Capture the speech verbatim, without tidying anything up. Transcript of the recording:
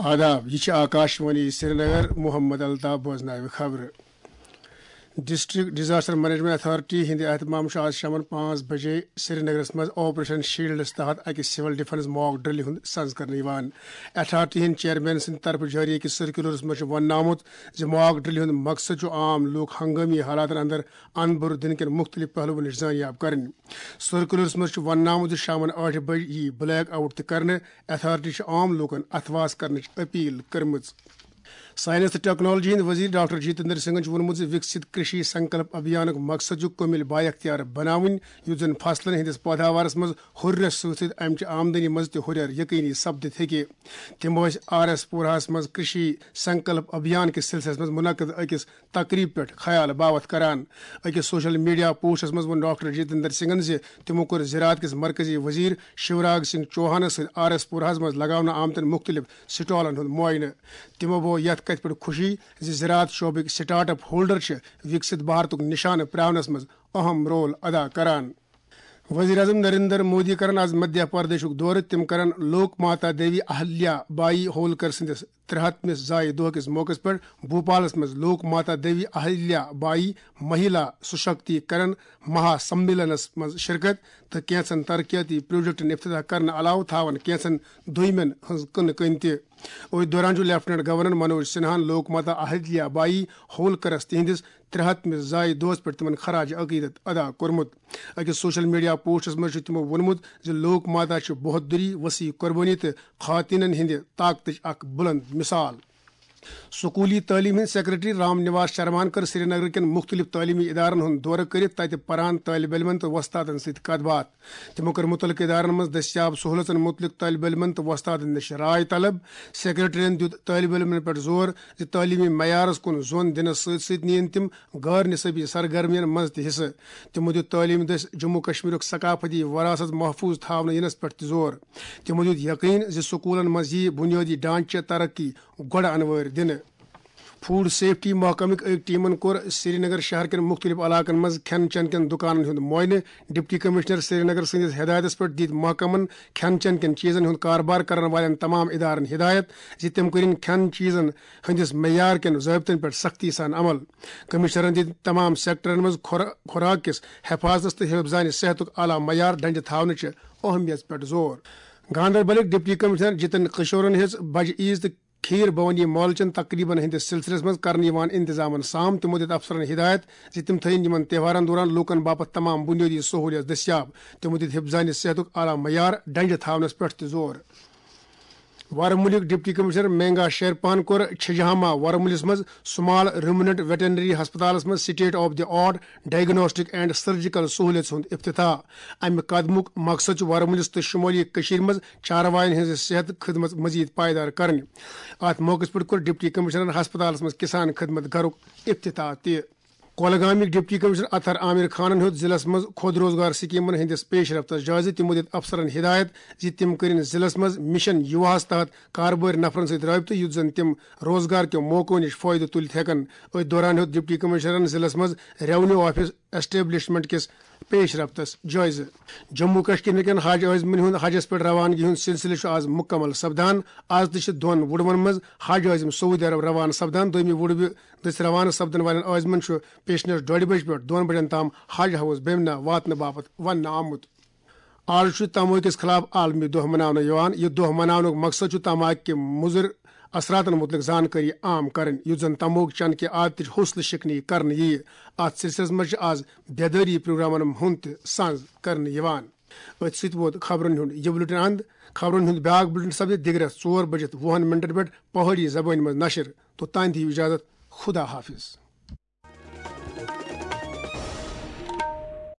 آداب، یہِ چھِ آکاشوانی سرینگر۔ محمد الطاف بوزناوِ خبرٕ۔ ڈسٹرکٹ ڈیزاسٹر مینجمنٹ اتھارٹی ہٕنٛدِ اہتمام چھُ آز شامَن پانٛژھ بجے سرینگرَس منٛز آپریشن شیلڈس تحت اکہِ سول ڈیفنس ماک ڈرلہِ ہُنٛد سنز کرنہٕ یِوان۔ اتھارٹی ہٕنٛدۍ چیئرمین سٕنٛدِ طرفہٕ جٲری أکِس سرکولرس منٛز چھُ وننہٕ آمُت زِ ماک ڈرلہِ ہُنٛد مقصد چھُ عام لوٗکھ ہنگٲمی حالاتن اندر انبر دِنہٕ کٮ۪ن مُختٔلِف پہلوَن نِش زٲنیاب کرٕنۍ۔ سرکولرس منٛز چھُ وننہٕ آمُت زِ شامَن ٲٹھِ بجہِ یِیہِ بلیک آؤٹ تہِ کرنہٕ۔ اتھارٹی چھِ عام لوٗکَن اتھواس کرنٕچ اپیل کٔرمٕژ۔ ساینس تہٕ ٹیکنالوجی ہٕنٛدۍ وزیر ڈاکٹر جتیندر سنگھن چھُ ووٚنمُت زِ وکسِت کرشی سنکلپ ابھیانُک مقصد چھُ کُمِل بااختیار بناوٕنۍ، یُتھ زن فصلن ہٕنٛدِس پٲداوارس منٛز ہُرٮ۪ر سۭتۍ سۭتۍ امہِ چہِ آمدنی منٛز تہِ ہُرٮ۪ر یقینی سپدِتھ ہیٚکہِ۔ تِم ٲسۍ آر ایس پوراہس منٛز کرشی سنکلپ ابھیان کِس سلسلس منٛز منعقد أکِس تقریب پٮ۪ٹھ خیال باوتھ کران۔ أکِس سوشل میڈیا پوسٹس منٛز ووٚن ڈاکٹر جتیندر سنگھن زِ تِمو کوٚر زراعت کِس مرکزی وزیر شیوراج سنگھ چوہانس سۭتۍ آر ایس پوراہس منٛز لگاونہٕ آمتٮ۪ن مُختٔلِف سٹالن ہُنٛد معائنہٕ۔ تِمو بوو یتھ کتھِ پٮ۪ٹھ خوشی زِ زراعت شعبٕکۍ سٹارٹ اپ ہولڈر چھِ وکسِت بھارتُک نشانہٕ پراونس منٛز اہم رول ادا کران۔ وزیر اعظم نریندر مودی کرن آز مدھیہ پردیشُک دورٕ۔ تِم کرن لوک ماتا دیوی اہلیا بائی ہولکر سٕنٛدِس ترٛےٚ ہتھ مِس زایہِ دۄہ کِس موقعس پٮ۪ٹھ بھوپالس منٛز لوک ماتا دیوی اہلیا بائی مہیلا سشکتی کرن مہا سمیلنس منٛز شرکت تہٕ کینٛژن ترقیاتی پروجیکٹن افتتاح کرنہٕ علاوٕ تھاون کینٛژن دویمٮ۪ن ہٕنٛز کٕنہٕ کٔنۍ تہِ۔ أتھۍ دوران چھُ لیفٹیننٹ گورنر منوج سنہاہن لوک ماتا اہلیا بائی ہولکرس تِہنٛدِس ترٛےٚ ہتھ مِس زایہِ دۄہس پٮ۪ٹھ تِمن خراج عقیدت ادا کوٚرمُت۔ أکِس سوشل میڈیا پوسٹس منٛز چھُ تِمو ووٚنمُت زِ لوک ماتا چھِ بہادری، وسیع قربٲنی تہٕ خواتینن ہٕنٛدِ طاقتٕچ اکھ بُلند مثال۔ سکولی تعلیٖم ہٕنٛدۍ سیکرٹری رام نواس شرماہن کٔر سرینگر کٮ۪ن مُختٔلِف تعلیٖمی ادارن ہُنٛد دورٕ کٔرِتھ تتہِ پران طٲلب علمن تہٕ وۄستادن سۭتۍ کتھ باتھ۔ تِمو کٔر مُتعلقہٕ ادارن منٛز دٔستیاب سہوٗلژن مُتعلق طٲلب علمن تہٕ وۄستادن نِش راے طلب۔ سیکرٹریَن دیُت طٲلب علمن پٮ۪ٹھ زور زِ تعلیٖمی معیارس کُن زون دِنس سۭتۍ سۭتۍ نِیِن تِم غٲر نصٲبی سرگرمین منٛز تہِ حصہٕ۔ تِمو دیُت تعلیٖم دٔسۍ جموں کشمیرُک ثقافتی وراثت محفوظ تھاونہٕ یِنس پٮ۪ٹھ تہِ زور۔ تِمو دیُت یقین زِ سکوٗلن منٛز یِیہِ بُنیٲدی ڈھانچہٕ ترقی گۄڈٕ انوٲرۍ دِنہٕ۔ فوڈ سیفٹی محکمٕکۍ أکۍ ٹیمن کوٚر سرینگر شہر کٮ۪ن مُختٔلِف علاقن منٛز کھٮ۪ن چٮ۪ن کٮ۪ن دُکانن ہُنٛد معائنہٕ۔ ڈپٹی کمشنر سرینگر سٕنٛدِس ہدایتس پٮ۪ٹھ دِتۍ محکمن کھٮ۪ن چٮ۪ن کٮ۪ن چیٖزن ہُنٛد کاربار کرن والٮ۪ن تمام ادارن ہدایت زِ تِم کٔرِن کھٮ۪ن چیٖزن ہٕنٛدِس معیار کٮ۪ن ضٲبطن پٮ۪ٹھ سختی سان عمل۔ کمشنرن دِتۍ تمام سیکٹرن منٛز خورا-، خوراک کِس حفاظتس تہٕ حفظانِ صحتُک اعلیٰ معیار ڈنجہِ تھاونٕچہِ اہمیت پٮ۪ٹھ زور۔ گاندربلٕکۍ ڈپٹی کمشنر جتن کشورن ہیٚژ بجہِ عیز تہٕ کھیٖر بھوانی مٲلہٕ چٮ۪ن تقریبن ہٕنٛدِس سلسلس منٛز کرنہٕ یِوان انتظامن سام۔ تِمو دِتۍ افسرن ہدایت زِ تِم تھٲوِن یِمن تہوارن دوران لوٗکن باپتھ تمام بُنیٲدی سہوٗلیت دٔستیاب۔ تِمو دِتۍ حفظانِ صحتُک اعلیٰ معیار ڈنجہِ تھاونس پٮ۪ٹھ تہِ زور۔ وارمُلِک ڈپٹی کمشنر مینگا شیرپان کوٚر چھجہاما وارمُلِس منٛز سمال رومننٹ ویٹرنری ہسپتالس منٛز state of the art diagnostic and surgical سہوٗلیژ ہُنٛد افتتاح۔ امہِ قدمُک مقصد چھُ وارمُلِس تہٕ شمٲلی کٔشیٖرِ منٛز چارواین ہٕنٛز صحت خدمت مزید پائیدار کرٕنۍ۔ اتھ موقعس پٮ۪ٹھ کوٚر ڈپٹی کمشنرن ہسپتالس منٛز کسان خدمت گھرُک افتتاح تہِ۔ کۄلگامٕکۍ ڈپٹی کمشنر اطہر عامر خانن ہیوٚت ضلعس منٛز خود روزگار سکیمن ہٕنٛدِس پیش رفتس جٲیزٕ۔ تِمو دِتۍ افسرن ہدایت زِ تِم کٔرِن ضلعس منٛز مشن یوہاہس تحت کاربٲرۍ نفرن سۭتۍ رٲبطہٕ، یُتھ زن تِم روزگار کیو موقعو نِش فٲیدٕ تُلِتھ ہٮ۪کن۔ أتھۍ دوران ہیوٚت ڈپٹی کمشنرن ضلعس منٛز ریونیو آفس اسٹیبلشمنٹ کِس پیش رفتس جٲیزٕ۔ جموں کشمیر کٮ۪ن حج عٲزمن ہُنٛد حجس پٮ۪ٹھ روانگی ہُنٛد سلسلہٕ چھُ آز مکمل سپدان۔ آز تہِ چھِ دۄن وُڈوَن منٛز حج عٲزم سعودی عرب روانہٕ سپدان۔ دوٚیمہِ وُڈوِ دٔسۍ روانہٕ سپدن والٮ۪ن عٲزمن چھُ پیشنس ڈۄڈِ بجہِ پٮ۪ٹھ دۄن بجن تام حج ہاوس بیمنا واتنہٕ باپتھ وننہٕ آمُت۔ آز چھُ تماکہِ کِس خلاف عالمی دۄہ مناونہٕ یِوان۔ یہِ دۄہ مناونُک مقصد چھُ تماکہِ کہِ مُضر اثراتن مُتعلق زانکٲری عام کرٕنۍ، یُتھ زن تموک چنہٕ کہِ عادتٕچ حوصلہٕ شکنی کرنہٕ یِیہِ۔ اتھ سلسلس منٛز چھِ آز بیدٲری پروگرامن ہُنٛد تہِ سنز کرنہٕ یِوان۔ أتھۍ سۭتۍ ووت خبرن ہُنٛد یہِ بُلٹن اند۔ خبرن ہُنٛد بیاکھ بُلٹن سپدِ دِگرس ژور بجِتھ وُہن منٹن پٮ۪ٹھ پہٲڑی زبٲنۍ منٛز نشر۔ توٚتام دِیِو اجازت۔ خدا حافظ۔